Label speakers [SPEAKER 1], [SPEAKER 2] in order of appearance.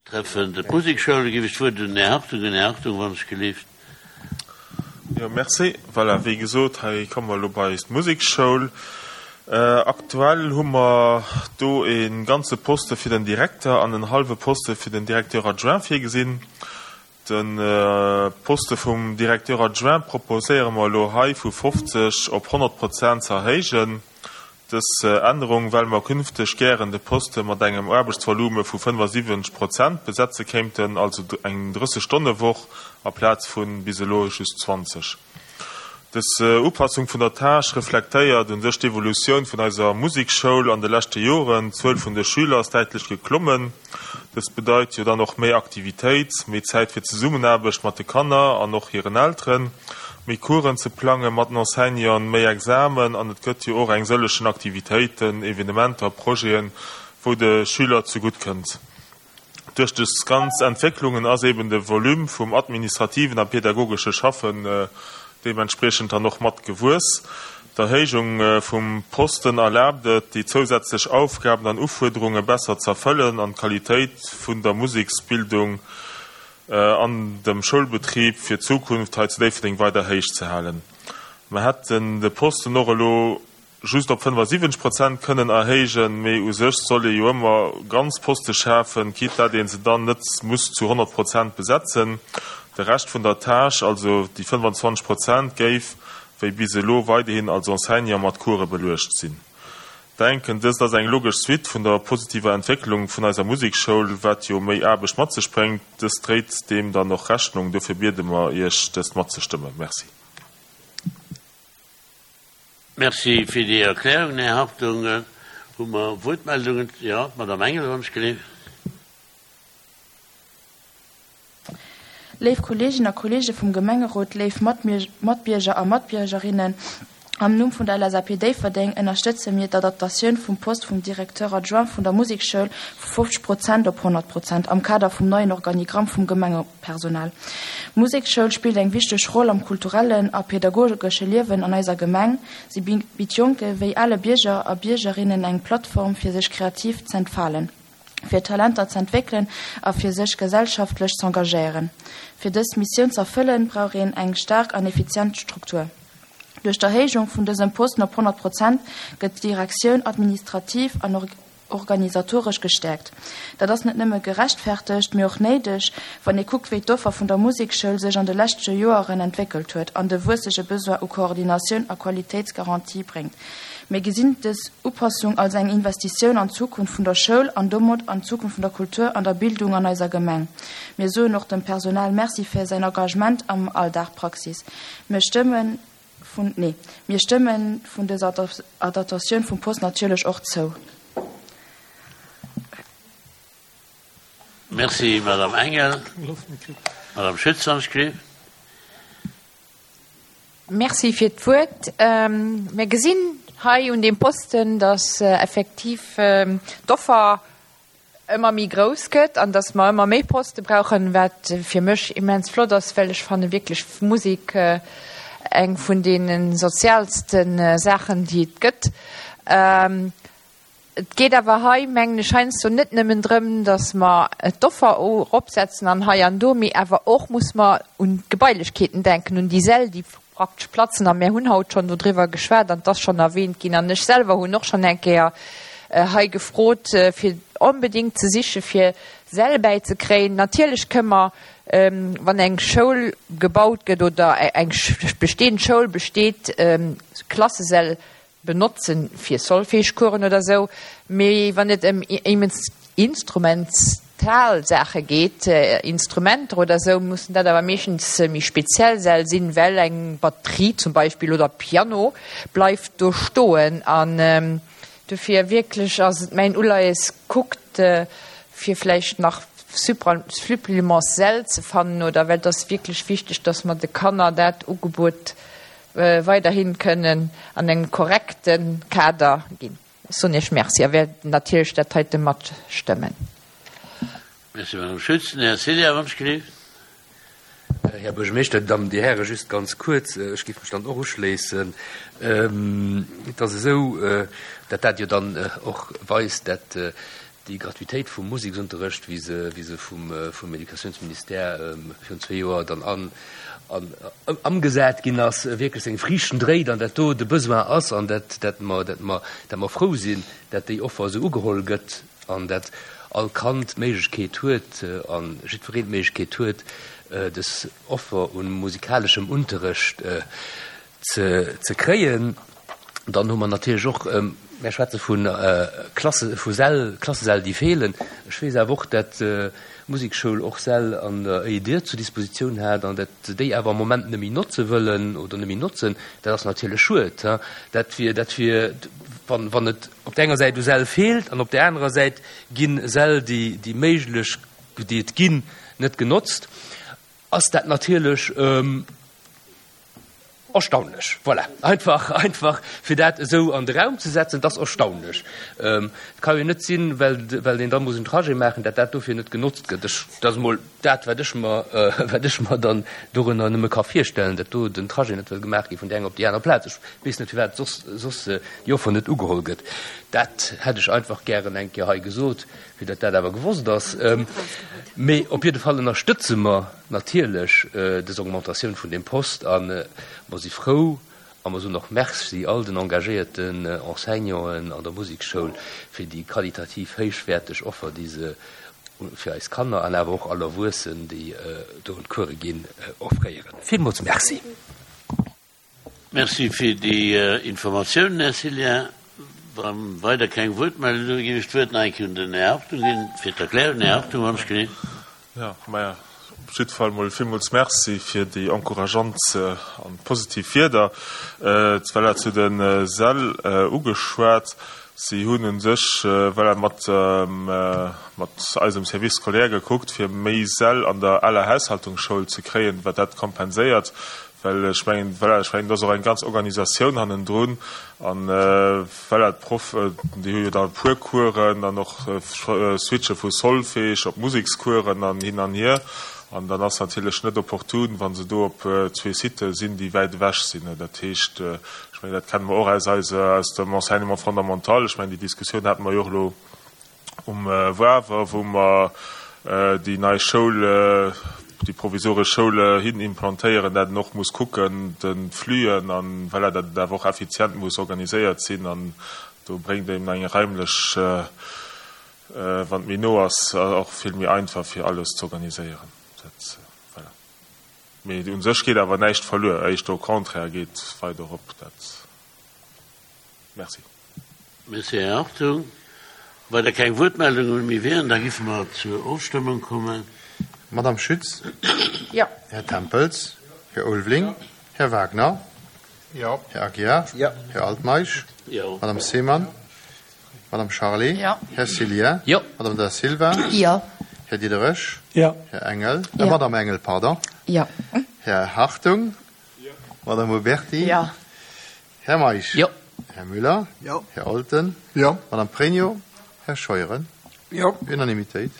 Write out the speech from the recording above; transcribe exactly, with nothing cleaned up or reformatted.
[SPEAKER 1] Betreffend d'Musekschoul géif ech d'Wuert un den Här Hartung ginn. Här Hartung, wann ech gelift.
[SPEAKER 2] Jo, merci. Voilà, wéi gesot, hei komme mer elo bei d'Musekschoul. Aktuell hu mer do e ganze Poste fir den Direkter an en hallwe Poste fir den Directeur adjoint virgesinn. De Poste vum Directeur adjoint proposéiere mer elo hei vu fofzeg op honnert Prozent ze erhéijen. Dës Ännerung, well mer künfteg gären de Poste mat engem Aarbechtsvolume vu fënnefasiwwenzeg Prozent besetze kéinten, also eng drësseg-Stonne-Woch aplaz vu bis elo just zwanzeg. Dës Upassung vun der Tâche reflektéiert u sech d'Evolutioun vun eiser Musekschoul an de leschte Joren. D'Zuel vun de Schüler ass däitlech geklommen. Dëst bedeit jo dann och méi Aktivitéit, méi Zäit fir d'Zesummenaarbecht mat de Kanner an och hiren Elteren, méi Coursen ze plange mat den Enseignanten, méi Examen an et gëtt jo och eng sëllechen Aktivitéiten, Evenementer, Projeten, wou de Schüler zegutt kënnt. Duerch dës ganz Entwécklungen ass eben de Volume vum administrativen a pädagogesche Schaffen deementspriechend dann och mat gewuess. D'Erhéijung vum Posten erlaabt et, déi zousätzlech Aufgaben an Ufuerderunge besser z'erfëllen an d'Qualitéit vun der Museksbildung an dem Schoulbetrib fir d'Zukunft hei zu Déifferdeng weider héich ze halen. Mer hätten de Posten och elo just op fënnefasiwwenzeg Prozent kënnen erhéijen, mee u sech soll ee jo ëmmer ganz Poste schafen, quitte dat ee se dann net muss zu honnert Prozent besetzen. De Rescht vun der Tâche, also déi fënnefazwanzeg Prozent, géif wéi bis elo weiderhin als Enseignant mat Course beluecht sinn. Denken, dëst ass eng logesch Suite vun der positiver Entwécklung vun eiser Musekschoul, wat jo méi Aarbecht mat sech bréngt. Dëst dréit deem dann och Rechnung. Dofir biede mer Iech, dëst matzestëmmen. Merci.
[SPEAKER 1] Merci fir déi Erklärung, Här Hartung. Hu mer Wuertmeldungen? Jo, d'Madame Engel, wann ech gelift.
[SPEAKER 3] Léif Kolleeginnen a Kolleege vum Gemengerot, léif Matbierger a Matbiergerinnen, am Numm vun der L S A P Déifferdeng ënnerstëtze mir d'Adaptatioun vum Poste vum Directeur adjoint vun der Musekschoul vu fofzeg Prozent op honnert Prozent am Kader vum neien Organigramm vum Gemengepersonal. D'Musekschoul spillt eng wichteg Roll am kulturellen a pädagogesche Liewen an eiser Gemeng. Si bitt Jonke wéi ale Bierger a Biergerinnen eng Plattform, fir sech kreativ z'entfalen, fir Talenter z'entwéckelen a fir sech gesellschaftlech z'engagéieren. Fir dës Missioun z'erfëllen, brauch een eng staark an effizient Struktur. Duerch d'Erhéijung vun dësem Posten op honnert Prozent gëtt d'Direktioun administrativ an organisatoresch gestäerkt. Dat ass net nëmme gerechtfertegt, mee och néideg, wann ee kuckt, wéi d'Offer vun der Musekschoul sech an de leschte Joeren entwéckelt huet an de wuessege Besoin u Koordinatioun a Qualitéitsgarantie bréngt. Mir gesinn dës Upassung als eng Investitioun an d'Zukunft vun der Schoul an domat an d'Zukunft vun der Kultur an der Bildung an eiser Gemeng. Mir soen och dem Personal Merci fir säin Engagement am Alldagpraxis. Mir stëmmen vun, nee, mir stëmmen vun dëser Adaptatioun vum Post natierlech och zou.
[SPEAKER 1] Merci, Madame Engel. Madame Schütz, wann ech gelift.
[SPEAKER 4] Merci fir d'Wuert. Mir gesinn hei un deem Posten, dass effektiv d'Offer ëmmer méi grouss gëtt an dass mer ëmmer méi Poste brauchen, wat fir mech immens flott ass, well ech fanne wierklech Musek eng vun deene soziaalste Saachen, déi et gëtt. Et geet awer hei, mengen ech, heiansdo net nëmmen drëm, dass mer d'Offer eropsetzen an hei an do, mee awer och muss mer un d'Gebailechkeeten denken, un déi Säll, déi praktesch platzen. A mir hunn haut schonn dodriwwer geschwat an et ass schonn erwähnt ginn. An ech selwer hunn och schonn eng Kéier hei gefrot, fir onbedéngt ze siche fir Säll bäizekréien. Natierlech kënne mer, wann eng Schoul gebaut gëtt oder eng bestehend Schoul besteet, Klassesäll benotzen fir Solfège-Coursen oder sou, mee wann et ëm instrumental Saache geet, Instrumenter oder sou, mussen dat awer meeschtens méi speziell Säll sinn, well eng Batterie zum Beispill oder Piano bleift do stoen. An dofir wierklech ass et mäin Uleies, kuckt fir vläicht nach Suppléments-Säll ze fannen oder well et ass wierklech wichteg, dass mer de Kanner dat Ugebuet weiderhi kënnen an engem korrekte Kader ginn. Ech soen Iech Merci a wäert natierlech dat heite matstëmmen.
[SPEAKER 1] Merci, Madame Schütz. Den Här Célia Wunschgelift.
[SPEAKER 5] Här Buergermeeschter, Dir Dammen, Dir Hären, just ganz kuerz, ech géif mech dann och uschléissen. Et ass esou, datt dat jo dann och weist, dat déi Gratuitéit vum Museksunterrecht, wéi se, wéi se vum, vum Educatiounsministère virun zwee Joer dann an, an ëmgesat ginn ass, wierklech seng Friichten dréit an dat do de Besoin ass an dat, dat mer, dat mer, dat mer frou sinn, dat déi Offer esou ugeholl gëtt an dat all Kand d'Méiglechkeet huet a jiddwereen d'Méiglechkeet huet, dës Offer u musikaleschem Unterrecht ze, ze kréien. Dann hu mer natierlech och, mär schwätze vu Klasse, vu Säll, Klassesäll, déi feelen. Ech weess awer och, dat d'Musekschoul och Säll an der EID zur Dispositioun hat an dat se déi awer am Moment net méi notze wëllen oder net méi notzen. Dat ass natierlech schued. Dat wier, dat wier, wann, wann et op där enger Säit u Säll feelt an op där anerer Säit gi Säll, déi, déi méiglech, déi et ginn, net genotzt, ass dat natierlech, Erstaunlech, voilà, einfach, einfach fir dat esou an de Raum ze setzen, dat ass erstaunlech. Et ka jo net sinn, well, well een da muss en Trajet maachen, dat dat dofir net genotzt gëtt. Ech, dat ass emol dat, wat ech mer, wat ech mer dann dorënner nëmme ka virstellen, dat do den Trajet net wëll gemaach gi vun där enger op déi aner Plaz. Ech weess net, firwat soss, soss déi Offer net ugeholl gëtt. Dat hätt ech einfach gären eng Kéier hei gesot, fir datt dat awer gewosst ass. Mee op jidde Fall ënnerstëtze mer natierlech dës Augmentatioun vun deem Post a mer si frou a mer soen och Merci all den engagéierten Enseignanten an der Musekschoul fir déi qualitativ héichwäerteg Offer, déi se fir eis Kanner an awer och all Erwuessen, déi do un d'Course ginn, offréieren. Villmools Merci.
[SPEAKER 1] Merci fir déi Informatiounen, Här Cillien. Wa weider keng Wuertmeldungen sinn, ginn ech d'Wuert nach eng Kéier un den Här Hartung ginn fir d'Erklärung. Här Hartung, wann ech genee.
[SPEAKER 2] Jo, maja, op jidde Fall mol villmools Merci fir déi encourageant an positiv Wierder. D'Vella zu de Säll ugeschwat. Si hunn u sech, voilà, mat, mat eisem Service scolaire gekuckt, fir méi Säll an der aler Haushaltungsschoul ze kréien, wat dat kompenséiert. Well ech mengen, voilà, ech mengen, do ass och eng ganz Organisatioun hannendrun. An, voilà, d'Proffen, déi hu jo da e puer Coursen an och switche vu Solfège op Musekscoursen an hin an hier. An dann ass natierlech net opportun, wa se do op zwee Sitë sinn, déi wäit ewech sinn. Dat heescht, ech mengen, dat kenne mer och aus eiser, aus dem Enseignement fondamental. Ech mengen, déi Diskussioun hate mer jo och elo um Wawer, wou mer déi nei Schoul, déi provisoresch Schoul hin implantéieren, dat en och muss kucken, de Flüen, an voilà, dat et awer och effizient muss organiséiert sinn. An do bréngt eben eng raimlech, wann et méi no ass, och vill méi einfach fir alles ze organiséieren. Dat, voilà. Mee u sech geet awer näischt verluer, éischter au contraire geet weider op. Dat, merci.
[SPEAKER 1] Merci, Här Hartung. Well da keng Wuertmeldungen méi wieren, da giffe mer zur Ofstëmmung kommen.
[SPEAKER 6] Madame Schütz?
[SPEAKER 4] Jo.
[SPEAKER 6] Här Tempels? Här Ulveling? Här Wagner?
[SPEAKER 7] Jo.
[SPEAKER 6] Här Aguiar?
[SPEAKER 7] Jo.
[SPEAKER 6] Här Altmeisch?
[SPEAKER 1] Jo.
[SPEAKER 6] Madame Seemann? Madame Charlé?
[SPEAKER 3] Jo.
[SPEAKER 6] Här Cillien?
[SPEAKER 5] Jo.
[SPEAKER 6] Madame Da Silva?
[SPEAKER 4] Jo.
[SPEAKER 6] Här Diderich?
[SPEAKER 7] Jo.
[SPEAKER 6] Här Engel?
[SPEAKER 4] Jo.
[SPEAKER 6] Äh, Madame Engel, pardon.
[SPEAKER 4] Jo.
[SPEAKER 6] Här Hartung?
[SPEAKER 2] Jo.
[SPEAKER 6] Madame Uberti?
[SPEAKER 4] Jo.
[SPEAKER 6] Här Meisch?
[SPEAKER 5] Jo.
[SPEAKER 6] Här Müller?
[SPEAKER 7] Jo.
[SPEAKER 6] Här Olten?
[SPEAKER 7] Jo.
[SPEAKER 6] Madame Pregno? Här Scheuren?
[SPEAKER 7] Jo.
[SPEAKER 6] Unanimitéit.